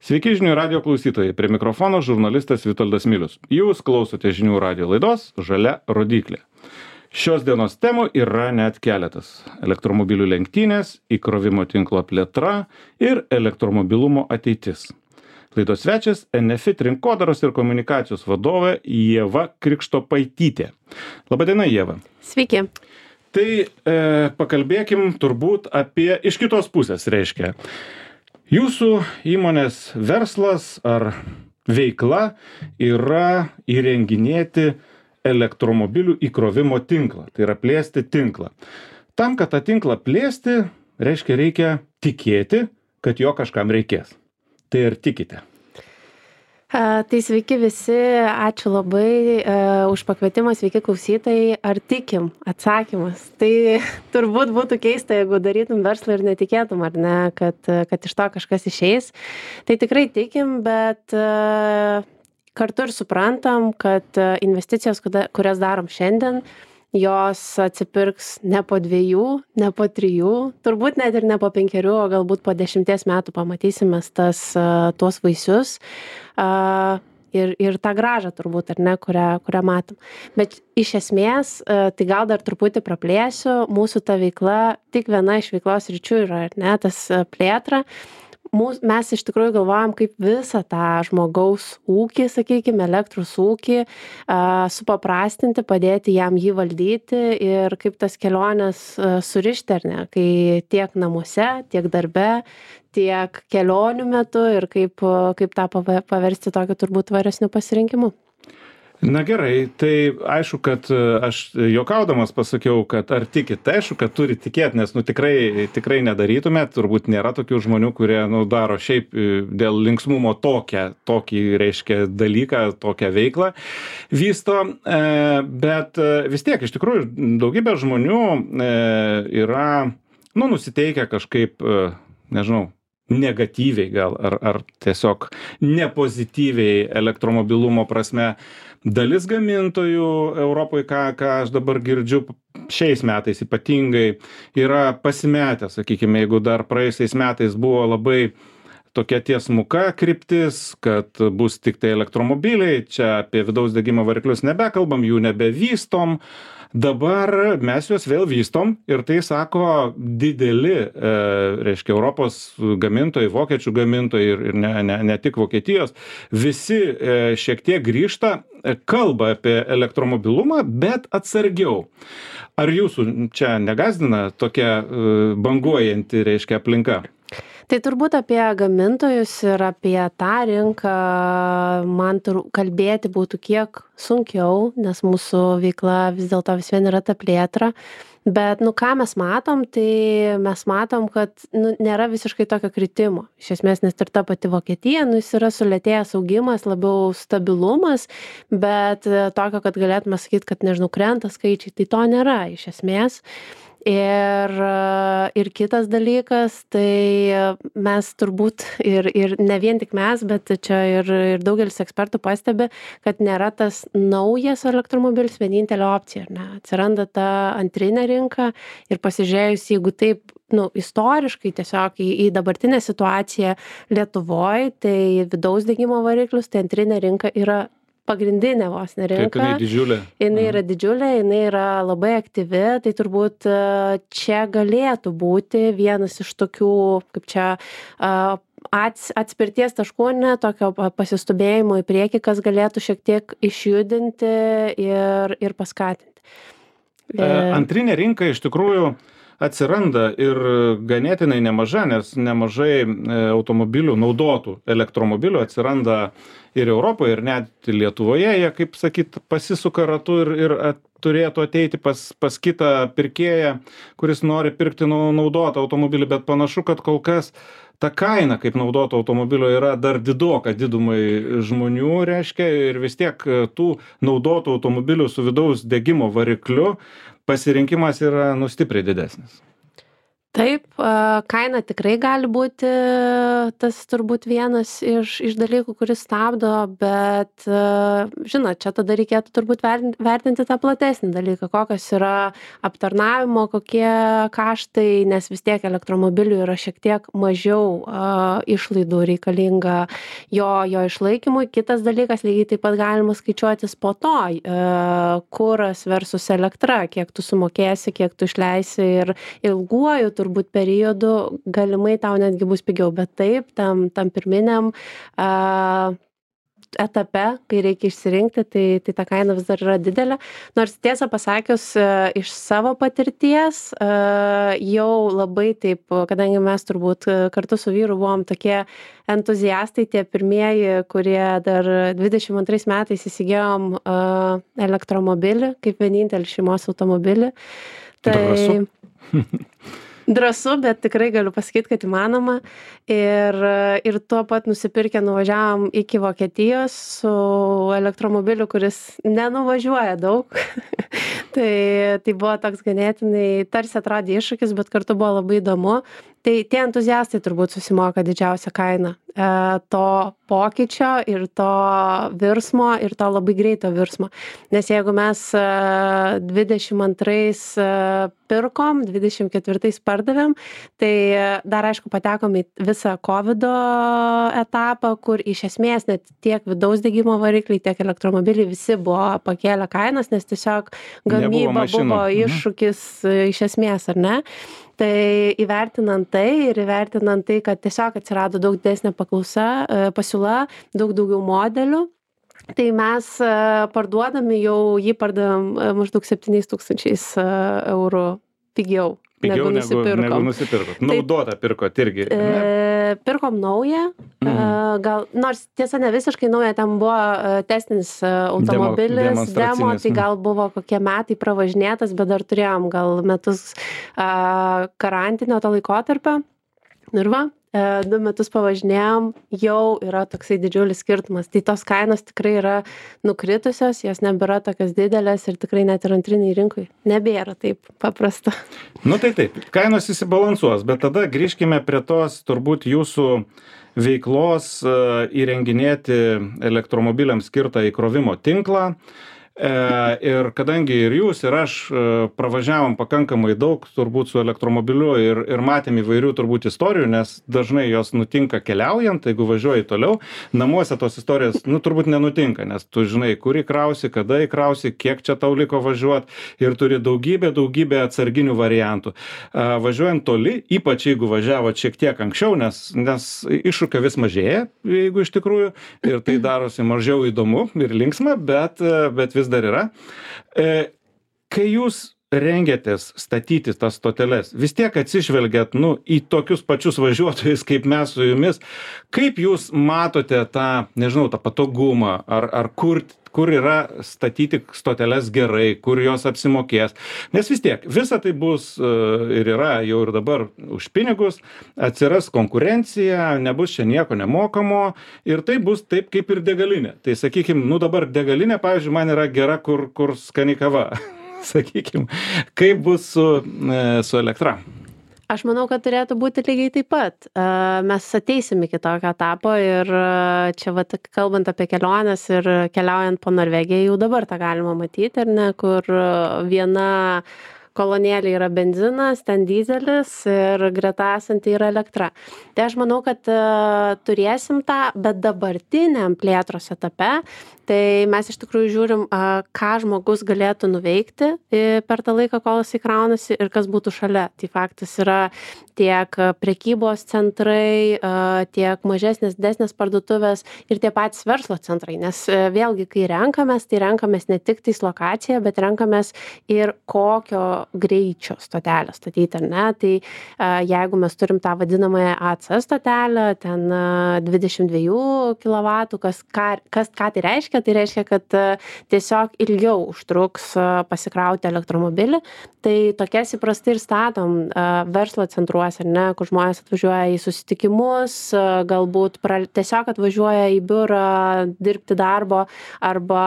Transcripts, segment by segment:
Sveiki žinių radio klausytojai, prie mikrofono žurnalistas Vitoldas Milius. Jūs klausote žinių radio laidos Žalia rodyklė. Šios dienos temų yra net keletas. Elektromobilių lenktynės, įkrovimo tinklo plėtra ir elektromobilumo ateitis. Laidos svečias Enefit rinkodaros ir komunikacijos vadovė Ieva Krikštopaitytė. Labadiena, Ieva. Sveiki. Tai pakalbėkim turbūt apie iš kitos pusės, reiškia. Jūsų įmonės verslas ar veikla yra įrenginėti elektromobilių įkrovimo tinklą, tai yra plėsti tinklą. Tam, kad tą tinklą plėsti, reikia tikėti, kad jo kažkam reikės. Tai ar tikite? Tai sveiki visi, ačiū labai už pakvietimą, sveiki klausytojai. Ar tikim? Atsakymas. Tai turbūt būtų keista, jeigu darytum verslą ir netikėtum, ar ne, kad iš to kažkas išeis. Tai tikrai tikim, bet kartu ir suprantam, kad investicijos, kurias darom šiandien, jos atsipirks ne po 2, ne po 3, turbūt net ir ne po 5, o galbūt po 10 metų pamatysime tuos vaisius ir tą grąžą turbūt, ar ne, kurią matom. Bet iš esmės, tai gal dar truputį praplėsiu, mūsų ta veikla, tik viena iš veiklos ryčių yra, ar ne, tas plėtra. Mes iš tikrųjų galvojam, kaip visą tą žmogaus ūkį, sakykime, elektros ūkį supaprastinti, padėti jam jį valdyti ir kaip tas keliones surišti, ar ne, kai tiek namuose, tiek darbe, tiek kelionių metu ir kaip tą paversti tokiu turbūt tvaresniu pasirinkimu. Na gerai, tai aišku, kad aš juokaudamas pasakiau, kad ar tikit, tai aišku, kad turi tikėti, nes tikrai nedarytumėt, turbūt nėra tokių žmonių, kurie daro šiaip dėl linksmumo tokį reiškia dalyką, tokią veiklą vysto, bet vis tiek iš tikrųjų daugybė žmonių yra nusiteikę kažkaip, nežinau, negatyviai gal ar tiesiog nepozityviai elektromobilumo prasme. Dalis gamintojų Europoje, ką aš dabar girdžiu šiais metais ypatingai, yra pasimetę, sakykime, jeigu dar praėjusiais metais buvo labai tokia tiesmuka kryptis, kad bus tik tai elektromobiliai, čia apie vidaus degimo variklius nebekalbam, jų nebevystom. Dabar mes juos vėl vystom ir tai sako dideli, reiškia, Europos gamintojai, vokiečių gamintojai ir ne tik Vokietijos, visi šiek tiek grįžta, kalba apie elektromobilumą, bet atsargiau. Ar jūsų čia negąsdina tokia banguojanti, reiškia, aplinka? Tai turbūt apie gamintojus ir apie tą rinką man kalbėti būtų kiek sunkiau, nes mūsų veikla vis dėlto vis vien yra ta plėtra. Bet, ką mes matom, tai mes matom, kad nėra visiškai tokio kritimo. Iš esmės, nes ir ta pati Vokietija, jis yra sulėtėjęs augimas, labiau stabilumas, bet tokio, kad galėtume sakyti, kad, nežinau, krenta skaičiai, tai to nėra iš esmės. Ir kitas dalykas, tai mes turbūt ir ne vien tik mes, bet čia ir daugelis ekspertų pastebi, kad nėra tas naujas elektromobilis vienintelė opcija, ne? Atsiranda ta antrinė rinka ir pasižiūrėjus, jeigu taip, istoriškai tiesiog į dabartinę situaciją Lietuvoje, tai vidaus degimo variklius, tai antrinė rinka yra pagrindinė vos rinka. Taip, jinai didžiulė. Jinai yra didžiulė, jinai yra labai aktyvi, tai turbūt čia galėtų būti vienas iš tokių, kaip čia, atspirties taškų, tokio pasistubėjimo į priekį, kas galėtų šiek tiek išjudinti ir paskatinti. Antrinė rinka iš tikrųjų atsiranda ir ganėtinai nemaža, nes nemažai automobilių, naudotų elektromobilių atsiranda ir Europoje, ir net Lietuvoje. Jie, kaip sakyt, pasisuka ratu ir turėtų ateiti pas kitą pirkėją, kuris nori pirkti naudotą automobilį, bet panašu, kad kol kas ta kaina kaip naudoto automobilio yra dar didoka didumai žmonių, reiškia, ir vis tiek tų naudotų automobilių su vidaus degimo varikliu pasirinkimas yra stipriai didesnis. Taip, kaina tikrai gali būti tas turbūt vienas iš dalykų, kuris stabdo, bet, žinot, čia tada reikėtų turbūt vertinti tą platesnį dalyką, kokios yra aptarnavimo, kokie kaštai, nes vis tiek elektromobilių yra šiek tiek mažiau išlaidų reikalinga jo išlaikymui. Kitas dalykas, lygiai taip pat galima skaičiuotis po to, kuras versus elektra, kiek tu sumokėsi, kiek tu išleisi ir ilguoju turbūt periodu galimai tau netgi bus pigiau, bet taip, tam pirminiam etape, kai reikia išsirinkti, tai ta kaina vis dar yra didelė. Nors tiesą pasakius, iš savo patirties jau labai taip, kadangi mes turbūt kartu su vyru buvom tokie entuziastai, tie pirmieji, kurie dar 22 metais įsigijom elektromobilį, kaip vienintelį šeimos automobilį. Drąsu, bet tikrai galiu pasakyti, kad įmanoma. Ir tuo pat nusipirkę nuvažiavom iki Vokietijos su elektromobiliu, kuris nenuvažiuoja daug. Tai buvo toks ganėtinai, tarsi atrodė iššūkis, bet kartu buvo labai įdomu. Tai tie entuziastai turbūt susimoka didžiausią kainą to pokyčio ir to virsmo ir to labai greito virsmo. Nes jeigu mes 22 pirkom, 24 pardavėm, tai dar aišku patekom į visą COVID etapą, kur iš esmės net tiek vidaus degimo varikliai, tiek elektromobiliai visi buvo pakėlę kainas, nes tiesiog gamyba buvo iššūkis iš esmės, ar ne? Tai įvertinant tai ir įvertinant tai, kad tiesiog atsirado daug didesnė pasiūla, daug daugiau modelių, tai mes parduodami jį pardavėm maždaug 7 000 eurų pigiau. Pigiau negu nusipirkot. Naudotą pirkot irgi. Pirkom naują, gal, nors tiesa ne visiškai nauja, ten buvo testinis automobilis, demo, tai gal buvo kokie metai pravažinėtas, bet dar turėjom gal metus karantinio to laikotarpio. Ir va, 2 metus pavažinėjom, jau yra toksai didžiulis skirtumas. Tai tos kainos tikrai yra nukritusios, jos nebėra tokios didelės ir tikrai net ir antriniai rinkui nebėra taip paprasta. Nu tai taip, kainos įsibalansuos, bet tada grįžkime prie tos turbūt jūsų veiklos įrenginėti elektromobiliams skirtą įkrovimo tinklą. Ir kadangi ir jūs, ir aš pravažiavom pakankamai daug turbūt su elektromobiliu ir matėm įvairių turbūt istorijų, nes dažnai jos nutinka keliaujant, jeigu važiuoji toliau, namuose tos istorijos turbūt nenutinka, nes tu žinai, kur įkrausi, kada įkrausi, kiek čia tau liko važiuoti ir turi daugybę atsarginių variantų. Važiuojant toli, ypač jeigu važiavot šiek tiek anksčiau, nes iššūkio vis mažėja, jeigu iš tikrųjų, ir tai darosi mažiau įdomu ir linksma, bet vis dar yra. Kai jūs rengiatės statyti tas stoteles, vis tiek atsižvelgiat į tokius pačius važiuotojus kaip mes su jumis, kaip jūs matote tą, nežinau, tą patogumą, ar kur yra statyti stoteles gerai, kur jos apsimokės. Nes vis tiek, visa tai bus ir yra jau ir dabar už pinigus, atsiras konkurencija, nebus čia nieko nemokamo ir tai bus taip kaip ir degalinė. Tai sakykim, dabar degalinė, pavyzdžiui, man yra gera, kur skani kava. Sakykim, kaip bus su elektra? Aš manau, kad turėtų būti lygiai taip pat. Mes ateisim iki tokio etapo ir čia kalbant apie keliones ir keliaujant po Norvegiją, jau dabar tą galima matyti, ar ne, kur viena kolonėlė yra benzinas, ten dyzelis ir greta esanti yra elektra. Tai aš manau, kad turėsim tą, bet dabartiniam plėtros etape, tai mes iš tikrųjų žiūrim, ką žmogus galėtų nuveikti per tą laiką, kol jis įkraunasi ir kas būtų šalia. Tai faktas yra tiek prekybos centrai, tiek mažesnės, didesnės parduotuvės ir tie patys verslo centrai. Nes vėlgi, kai renkamės, tai renkamės ne tik tais lokaciją, bet renkamės ir kokio greičio stotelę statyti, ar ne? Tai jeigu mes turim tą vadinamąją AC stotelę, ten 22 kW, ką tai reiškia? Tai reiškia, kad tiesiog ilgiau užtruks pasikrauti elektromobilį. Tai tokias įprastai ir statom verslo centruose, ar ne, kur žmonės atvažiuoja į susitikimus, galbūt tiesiog atvažiuoja į biurą dirbti darbo arba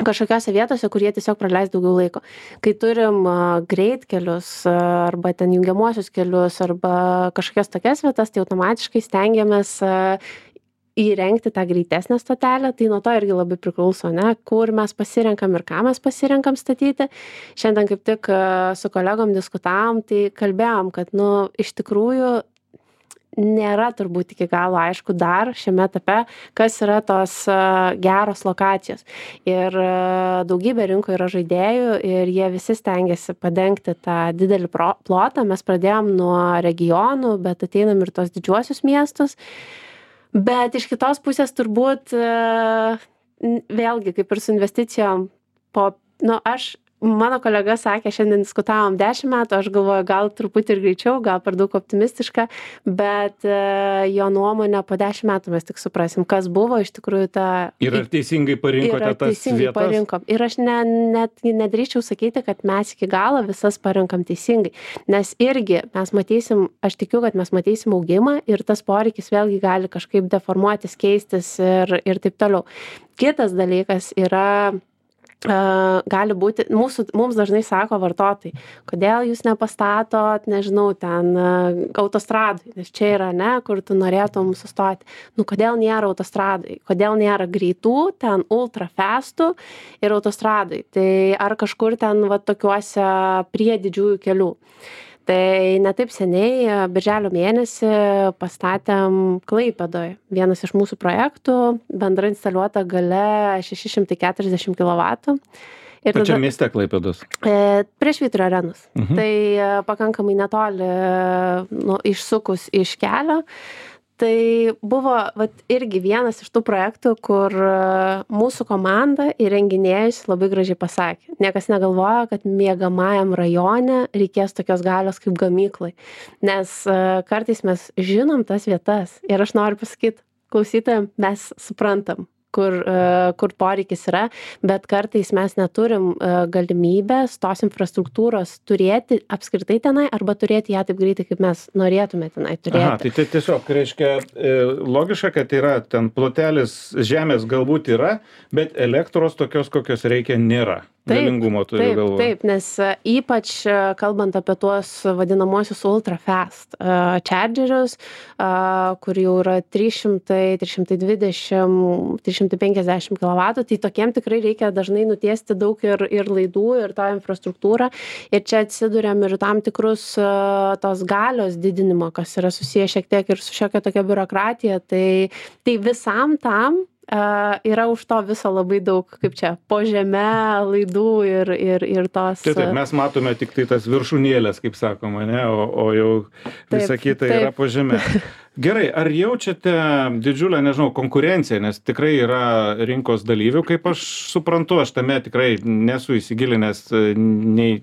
kažkokiose vietose, kur jie tiesiog praleis daugiau laiko. Kai turim greitkelius arba ten jungiamuosius kelius arba kažkokias tokias vietas, tai automatiškai stengiamės įrengti tą greitesnę stotelę, tai nuo to irgi labai priklauso, ne, kur mes pasirenkam ir ką mes pasirenkam statyti. Šiandien kaip tik su kolegom diskutavom, tai kalbėjom, kad, iš tikrųjų nėra turbūt iki galo aišku dar šiame etape, kas yra tos geros lokacijos. Ir daugybė rinkoje yra žaidėjų ir jie visi stengiasi padengti tą didelį plotą. Mes pradėjom nuo regionų, bet ateinam ir tos didžiuosius miestus. Bet iš kitos pusės turbūt vėlgi kaip ir su investicijom mano kolega sakė, šiandien diskutavom 10 metų, aš galvoju, gal truputį ir greičiau, gal per daug optimistiška, bet jo nuomonė po 10 metų mes tik suprasim, kas buvo iš tikrųjų ta... Ir ar teisingai parinkote tas vietas? Parinkom. Ir aš net nedrįščiau sakyti, kad mes iki galo visas parinkam teisingai, nes irgi mes matysim, aš tikiu, kad mes matysim augimą ir tas poreikis vėlgi gali kažkaip deformuotis, keistis ir taip toliau. Kitas dalykas yra... gali būti, mums dažnai sako vartotojai, kodėl jūs nepastatot, nežinau, ten autostradai, nes čia yra, kur tu norėtum sustoti. Kodėl nėra autostradai, kodėl nėra greitų, ten ultra fastų ir autostradai. Tai ar kažkur ten tokiuose prie didžiųjų kelių. Tai netaip seniai, birželio mėnesį, pastatėm Klaipėdoje. Vienas iš mūsų projektų, bendra instaliuota galia 640 kW. Pačiam mieste Klaipėdos? Prie Švyturio arenos. Tai pakankamai netoli išsukus iš kelio. Tai buvo irgi vienas iš tų projektų, kur mūsų komanda įrenginėjus labai gražiai pasakė. Niekas negalvoja, kad miegamajam rajone reikės tokios galios kaip gamyklai. Nes kartais mes žinom tas vietas ir aš noriu pasakyti klausytojams, mes suprantam, kur poreikis yra, bet kartais mes neturim galimybės tos infrastruktūros turėti apskritai tenai arba turėti ją taip greitai, kaip mes norėtume tenai turėti. Aha, tai tiesiog reiškia logiška, kad yra ten plotelis žemės galbūt yra, bet elektros tokios, kokios reikia, nėra. Galingumo turiu galvoje. Taip, nes ypač kalbant apie tuos vadinamosius ultra fast chargerius, kur jau yra 300, 320, 350 kW, tai tokiem tikrai reikia dažnai nutiesti daug ir laidų, ir tą infrastruktūrą. Ir čia atsiduriam ir tam tikrus tos galios didinimo, kas yra susiję šiek tiek ir su šiokia tokia biurokratija. Tai visam tam yra už to viso labai daug, kaip čia, po žeme laidų ir tos... Taip, mes matome tik tai tas viršūnėlės, kaip sakoma, ne, o jau visa kita yra po žeme. Gerai, ar jaučiate didžiulę, nežinau, konkurenciją, nes tikrai yra rinkos dalyvių, kaip aš suprantu, aš tame tikrai nesu įsigilinęs nei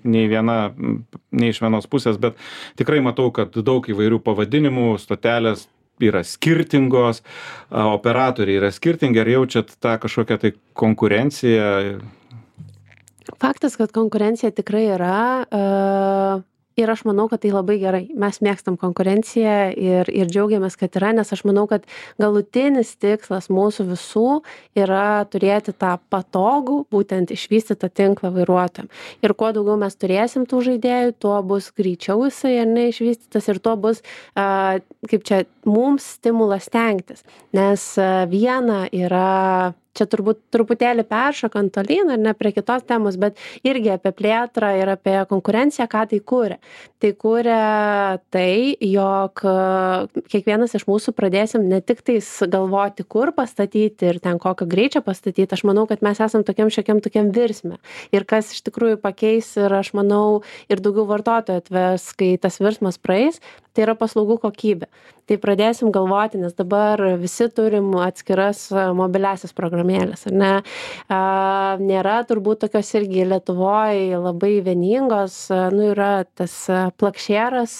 iš vienos pusės, bet tikrai matau, kad daug įvairių pavadinimų, stotelės yra skirtingos, operatoriai yra skirtingi, ar jaučiat tą kažkokią tai konkurenciją? Faktas, kad konkurencija tikrai yra ir aš manau, kad tai labai gerai. Mes mėgstam konkurenciją ir džiaugiamės, kad yra, nes aš manau, kad galutinis tikslas mūsų visų yra turėti tą patogų, būtent išvystytą tinklą vairuotojam. Ir kuo daugiau mes turėsim tų žaidėjų, tuo bus greičiau jisai išvystytas ir tuo bus, kaip čia, mums stimulas stengtis. Nes viena yra... Čia turbūt truputėlį peršokant tolyn, ar ne prie kitos temos, bet irgi apie plėtrą ir apie konkurenciją, ką tai kuria. Tai kuria tai, jog kiekvienas iš mūsų pradėsim ne tik tais galvoti, kur pastatyti ir ten kokio greičio pastatyti. Aš manau, kad mes esam tokiam virsme. Ir kas iš tikrųjų pakeis ir aš manau ir daugiau vartotojų atves, kai tas virsmas praeis, tai yra paslaugų kokybė. Tai pradėsim galvoti, nes dabar visi turim atskiras mobiliasias programėlės, ar ne? Nėra turbūt tokios irgi Lietuvoje labai vieningos, yra tas plakšėras,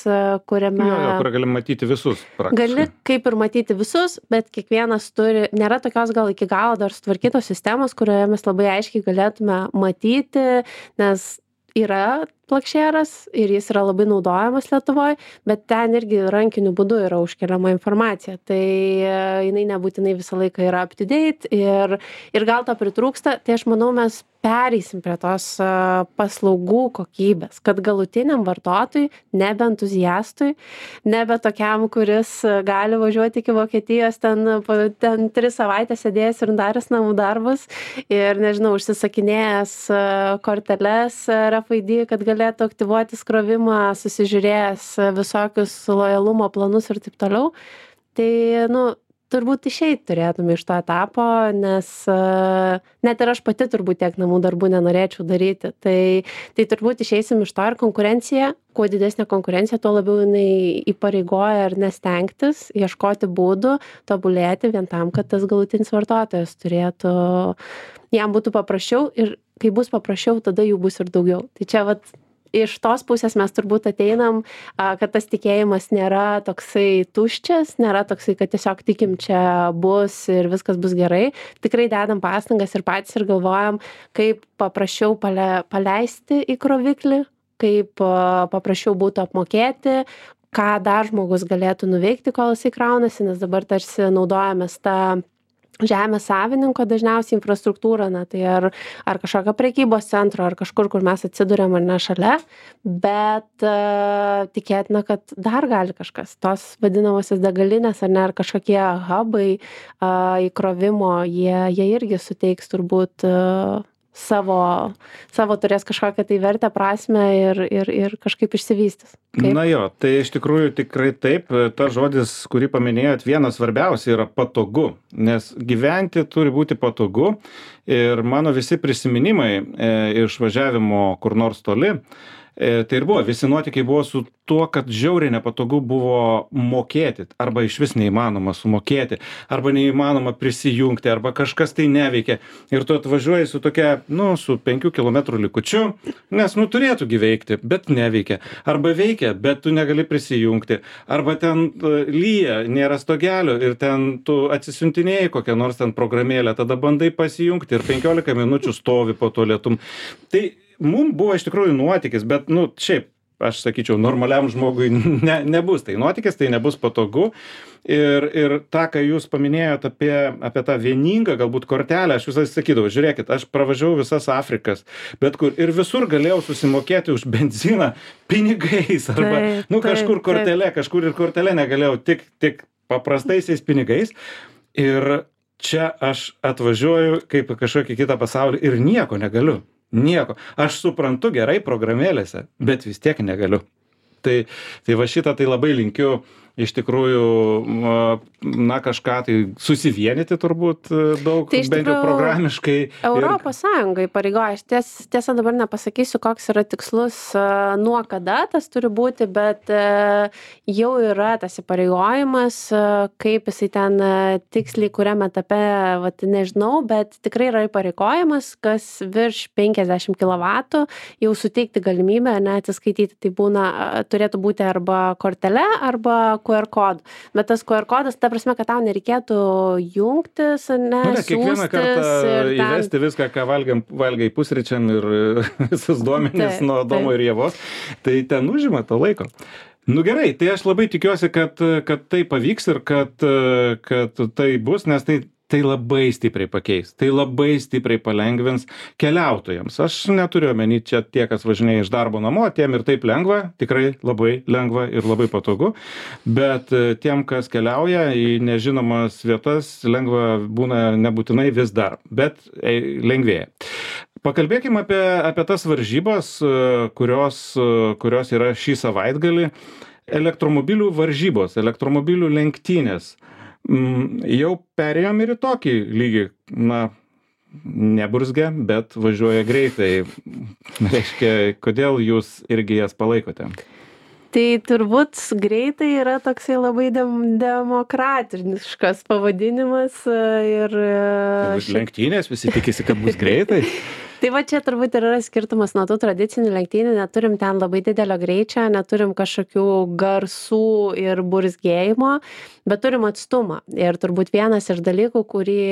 kuriame... Kur gali matyti visus praktiškai. Gali kaip ir matyti visus, bet kiekvienas turi, nėra tokios gal iki galo dar sutvarkytos sistemos, kurioje mes labai aiškiai galėtume matyti, nes yra plokščiaras ir jis yra labai naudojamas Lietuvoj, bet ten irgi rankiniu būdu yra užkeliama informacija. Tai jinai nebūtinai visą laiką yra up to date ir gal to pritrūksta. Tai aš manau, mes pereisim prie tos paslaugų kokybės, kad galutiniam vartotojui, nebe entuziastui, nebe tokiam, kuris gali važiuoti iki Vokietijos, ten 3 savaitės sėdėjęs ir daręs namų darbus ir, nežinau, užsisakinėjęs korteles RFID, kad galėtų aktyvuoti skrovimą, susižiūrėjęs visokius lojalumo planus ir taip toliau. Tai, turbūt išeit turėtume iš to etapo, nes net ir aš pati turbūt tiek namų darbų nenorėčiau daryti. Tai turbūt išeisim iš to ir konkurencija, kuo didesnė konkurencija, tuo labiau jinai įpareigoja ar nestengtis, ieškoti būdų, tobulėti vien tam, kad tas galutinis vartotojas turėtų, jam būtų paprasčiau ir kai bus paprasčiau, tada jų bus ir daugiau. Tai čia iš tos pusės mes turbūt ateinam, kad tas tikėjimas nėra toksai tuščias, nėra toksai, kad tiesiog tikim čia bus ir viskas bus gerai. Tikrai dedam pastangas ir patys ir galvojam, kaip paprasčiau paleisti į kroviklį, kaip paprasčiau būtų apmokėti, ką dar žmogus galėtų nuveikti, kol jisai kraunasi, nes dabar tarsi naudojamės tą žemės savininko dažniausiai infrastruktūrą, tai ar kažkokio prekybos centro, ar kažkur, kur mes atsiduriam ar ne šalia, bet tikėtina, kad dar gali kažkas, tos vadinamosios degalinės ar kažkokie hubai įkrovimo, jie irgi suteiks turbūt savo turės kažkokią tai vertę, prasmę ir kažkaip išsivystys. Kaip? Na jo, tai iš tikrųjų tikrai taip, ta žodis, kurį paminėjot, vienas svarbiausia yra patogu, nes gyventi turi būti patogu ir mano visi prisiminimai iš važiavimo kur nors toli, tai ir buvo, visi nuotykiai buvo su tuo, kad žiauriai nepatogu buvo mokėti, arba iš vis neįmanoma sumokėti, arba neįmanoma prisijungti, arba kažkas tai neveikia. Ir tu atvažiuoji su tokia, su 5 km likučiu, nes, turėtų veikti, bet neveikia. Arba veikia, bet tu negali prisijungti. Arba ten lyja, nėra stogelio ir ten tu atsisiuntinėjai kokią nors ten programėlę, tada bandai pasijungti ir 15 minučių stovi po to lietum. Tai mums buvo iš tikrųjų nuotykis, bet, šiaip, aš sakyčiau, normaliam žmogui nebus tai nuotykis, tai nebus patogu. Ir tą, ką jūs paminėjot apie tą vieningą galbūt kortelę, aš visai sakydavau, žiūrėkit, aš pravažiavau visas Afrikas, bet kur ir visur galėjau susimokėti už benziną pinigais, arba, kažkur kortelė, kažkur ir kortelė negalėjau, tik paprastaisiais pinigais. Ir čia aš atvažiuoju kaip kažkokį kitą pasaulį ir nieko negaliu. Nieko. Aš suprantu gerai programėlėse, bet vis tiek negaliu. Tai va šitą tai labai linkiu iš tikrųjų, kažką tai susivienyti turbūt daug, tai bent jau programiškai. Europos Sąjunga įpareigoja, aš tiesa dabar nepasakysiu, koks yra tikslus, nuo kada tas turi būti, bet jau yra tas įpareigojimas, kaip jisai ten tiksliai, kuriam etape, nežinau, bet tikrai yra įpareigojimas, kas virš 50 kW jau suteikti galimybę atsiskaityti. Tai turėtų būti arba kortelė, arba QR kodu. Bet tas QR kodas, ta prasme, kad tau nereikėtų jungtis, kiekvieną kartą įvesti viską, ką valgai pusryčiam ir visus duomenis nuo Adomo ir Ievos, tai ten užima to laiko. Gerai, tai aš labai tikiuosi, kad tai pavyks ir kad tai bus, nes tai labai stipriai pakeis, tai labai stipriai palengvins keliautojams. Aš neturiu omeny čia tie, kas važinėja iš darbo namo, tiem ir taip lengva, tikrai labai lengva ir labai patogu, bet tiem, kas keliauja į nežinomas vietas, lengva būna nebūtinai vis dar, bet lengvėja. Pakalbėkime apie tas varžybas, kurios yra šį savaitgalį. Elektromobilių varžybos, elektromobilių lenktynės. Jau perėjom ir į tokį lygį, neburzgia, bet važiuoja greitai. Reiškia, kodėl jūs irgi jas palaikote? Tai turbūt greitai yra toksai labai demokratiškas pavadinimas ir... Lenktynės, visi tikisi, kad bus greitai. Tai va čia turbūt yra skirtumas nuo tų tradicinių lenktynių, neturim ten labai didelio greičio, neturim kažkokių garsų ir burzgėjimo, bet turim atstumą. Ir turbūt vienas iš dalykų, kurį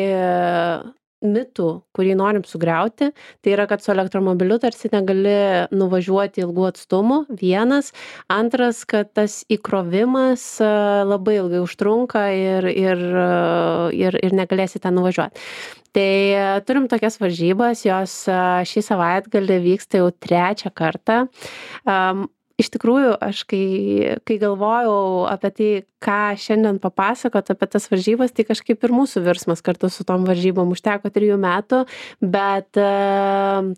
mitų, kurį norim sugriauti, tai yra, kad su elektromobiliu tarsi negali nuvažiuoti ilgų atstumų, vienas. Antras, kad tas įkrovimas labai ilgai užtrunka ir negalėsi ten nuvažiuoti. Tai turim tokias varžybas, jos šį savaitgalį vyksta jau 3 kartą. Iš tikrųjų, aš kai galvojau apie tai, ką šiandien papasakot apie tas varžybas, tai kažkaip ir mūsų virsmas kartu su tom varžybom užteko 3 metų, bet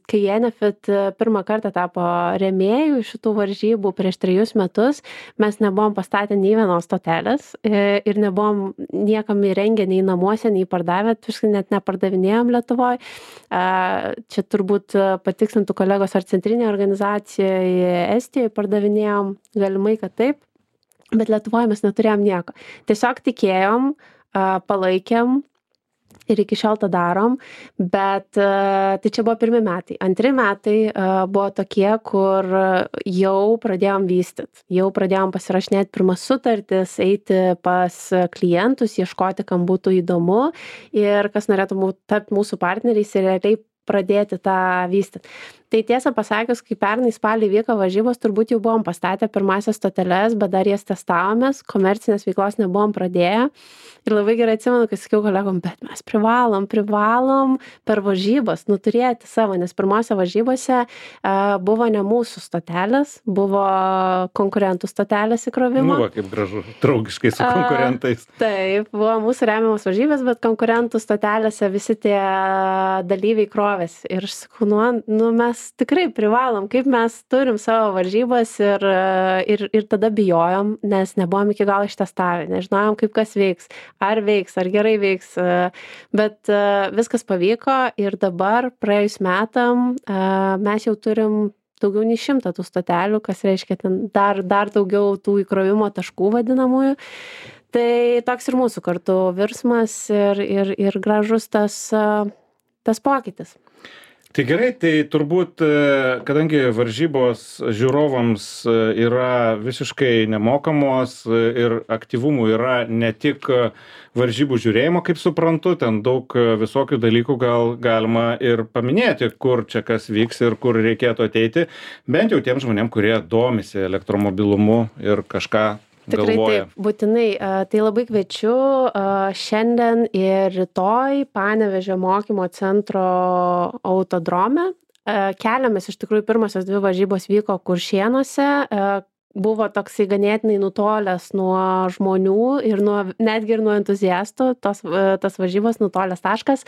kai Enefit pirmą kartą tapo rėmėjų šitų varžybų prieš 3 metus, mes nebuvom pastatę nei vienos stotelės ir nebuvom niekam įrengę nei namuose, nei pardavę, net nepardavinėjom Lietuvoje. Čia turbūt patikslintų kolegos, ar centrinė organizacija Estijoje pardavinėjom, galimai, kad taip, bet Lietuvoje mes neturėjom nieko. Tiesiog tikėjom, palaikėm ir iki šiol tą darom, bet tai čia buvo 1 metai. 2 metai buvo tokie, kur jau pradėjom vystyt, jau pradėjom pasirašinėti pirmas sutartis, eiti pas klientus, ieškoti, kam būtų įdomu ir kas norėtų tapti mūsų partneriais ir realiai pradėti tą vystyti. Tai tiesą pasakius, kai pernai spalį vyko varžybos, turbūt jau buvom pastatę pirmasias stoteles, bet dar jas testavomės, komercinės veiklos nebuvom pradėję. Ir labai gerai atsimenu, kai sakiau kolegom, bet mes privalom per varžybas turėti savo, nes pirmose varžybose buvo ne mūsų stotelės, buvo konkurentų stotelės įkrovimo. Va, kaip gražu, draugiškai su konkurentais. Taip, buvo mūsų remiamos varžybės, bet konkurentų stotelėse visi tie dalyviai krovėsi. Ir aš sakau, mes tikrai privalom, kaip mes turim savo varžybas ir tada bijojom, nes nebuvom iki galo ištestavę, nežinojom, kaip kas veiks, ar gerai veiks, bet viskas pavyko ir dabar praėjus metam mes jau turim daugiau nei 100 tų stotelių, kas reiškia ten dar daugiau tų įkrovimo taškų vadinamųjų. Tai toks ir mūsų kartu virsmas ir gražus tas pokytis. Tai gerai, tai turbūt, kadangi varžybos žiūrovams yra visiškai nemokamos ir aktyvumų yra ne tik varžybų žiūrėjimo, kaip suprantu, ten daug visokių dalykų gal galima ir paminėti, kur čia kas vyks ir kur reikėtų ateiti, bent jau tiem žmonėm, kurie domisi elektromobilumu ir kažką Tikrai galvoja. taip, būtinai. Tai labai kviečiu šiandien ir rytoj Panevėžio mokymo centro autodrome. Keliamės, iš tikrųjų, pirmosios 2 varžybos vyko Kuršėnuose. Buvo toksai ganėtinai nutolęs nuo žmonių ir netgi ir nuo entuziastų, tas varžybos nutolęs taškas,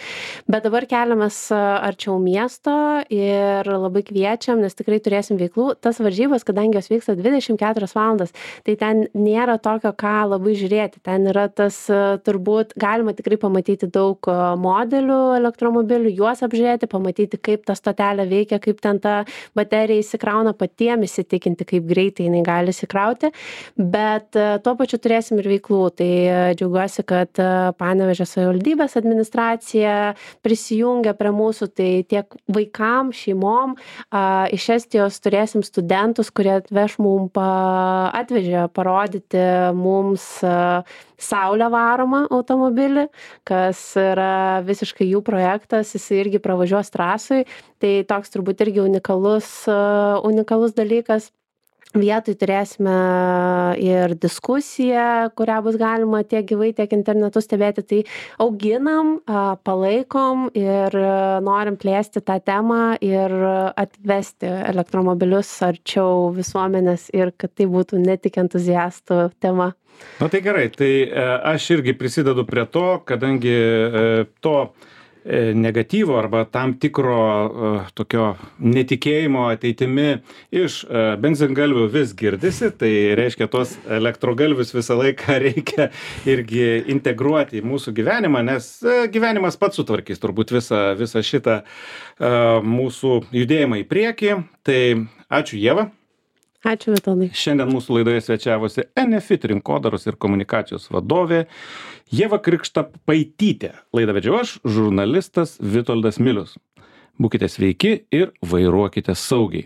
bet dabar keliamės arčiau miesto ir labai kviečiam, nes tikrai turėsim veiklų. Tas varžybos, kadangi jos vyksta 24 valandas, tai ten nėra tokio, ką labai žiūrėti. Ten yra tas, turbūt, galima tikrai pamatyti daug modelių elektromobilių, juos apžiūrėti, pamatyti, kaip ta stotelė veikia, kaip ten ta baterija įsikrauna, patiem įsitikinti, kaip greitai jinai gali įsikrauti, bet tuo pačiu turėsim ir veiklų. Tai džiaugiuosi, kad Panevėžio savivaldybės administracija prisijungia prie mūsų, tai tiek vaikam, šeimom. Iš Estijos turėsim studentus, kurie atvežė parodyti mums saulę varomą automobilį, kas yra visiškai jų projektas, jis irgi pravažiuos trasui. Tai toks turbūt irgi unikalus dalykas. Vietoj turėsime ir diskusiją, kurią bus galima tiek gyvai, tiek internetu stebėti. Tai auginam, palaikom ir norim plėsti tą temą ir atvesti elektromobilius arčiau visuomenės ir kad tai būtų ne tik entuziastų tema. Na tai gerai, tai aš irgi prisidedu prie to, kadangi to negatyvo arba tam tikro tokio netikėjimo ateitimi iš benzingalvių vis girdisi, tai reiškia tos elektrogalvius visą laiką reikia irgi integruoti į mūsų gyvenimą, nes gyvenimas pats sutvarkys turbūt visą šitą mūsų judėjimą į priekį. Tai ačiū, Ieva. Ačiū, Vitoldai. Šiandien mūsų laidoje svečiavosi Enefit rinkodaros ir komunikacijos vadovė Ieva Krikštapaitytė. Laidą vedžiau aš, žurnalistas Vitoldas Milius. Būkite sveiki ir vairuokite saugiai.